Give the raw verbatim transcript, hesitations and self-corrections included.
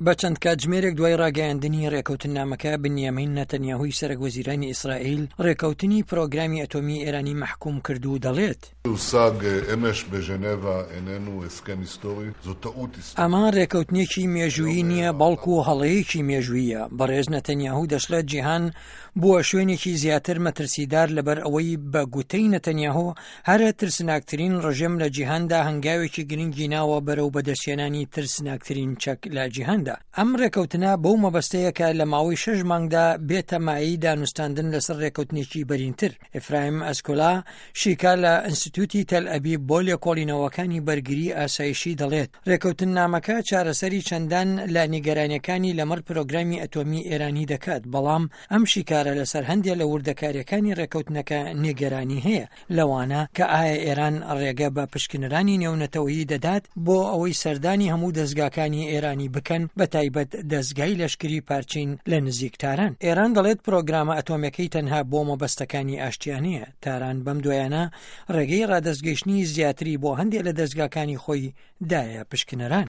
بە چەند کاتژمێرێک دوای ڕاگەیاندنی ڕێکەوتننامەکە، بنیامین نەتەنیاهوی سەرەک وەزیرانی ئیسرائیل ڕێکەوتنی پرۆگرامی ئەتۆمی ئێرانی مەحکوم کرد و دەڵێت: ئەمە ڕێکەوتنێکی مێژوویی نییە، بەڵکو هەڵەیەکی مێژوویە. بەڕێز نەتەنیاهو دەشڵێت جیهان بووە شوێنێکی زیاتر مەترسیدار لەبەر ئەوەی بە گوتەی نەتەنیاهۆ هەرە ترسناکترین ڕژێم لە جیهاندا هەنگاوێکی گرنگی ناوە بەرەو بەدەستهێنانی ترسناکترین چەک لە جیهاندا. ئەم ڕێکەوتنە بەو مەبەستەیە کە لە ماوەی شەش مانگدا بێتە مایەی دانوستاندن لەسەر ڕێکەوتنێکی بەرینتر. ئیفرایم ئەسکۆلا شیکار لە ئینستیتوتی تەل ئەبیب بۆ لێکۆڵینەوەکانی بەرگری ئاسایشی دەڵێت ڕێکەوتننامەکە چارەسەری چەندان لە نیگەرانیەکانی لەمەڕ پرۆگرامی ئەتۆمی ئێرانی دەکات، بەڵام ئەم شیکارە لەسەر هەندێ لە وردەکاریەکانی ڕێکەوتنەکە نیگەرانی هەیە، لەوانە کە ئایا ئێران ڕێگە بە پشکنەرانی نێونەتەوەیی دەدات بۆ ئەوەی سەردانی هەموو دەزگاکانی ئێرانی بکەن، بە تایبەت دەزگای لەشکری پارچین لە نزیک تاران. ئێران دەڵێت پرۆگرامە ئەتۆمیەکەی تەنها بۆ مەبەستەکانی ئاشتیانەیە. تاران بەم دوایانە ڕێگەی ڕادەستگەیشتنی زیاتری بۆ هەندێک لە دەزگاکانی خۆی دایە پشکنەران.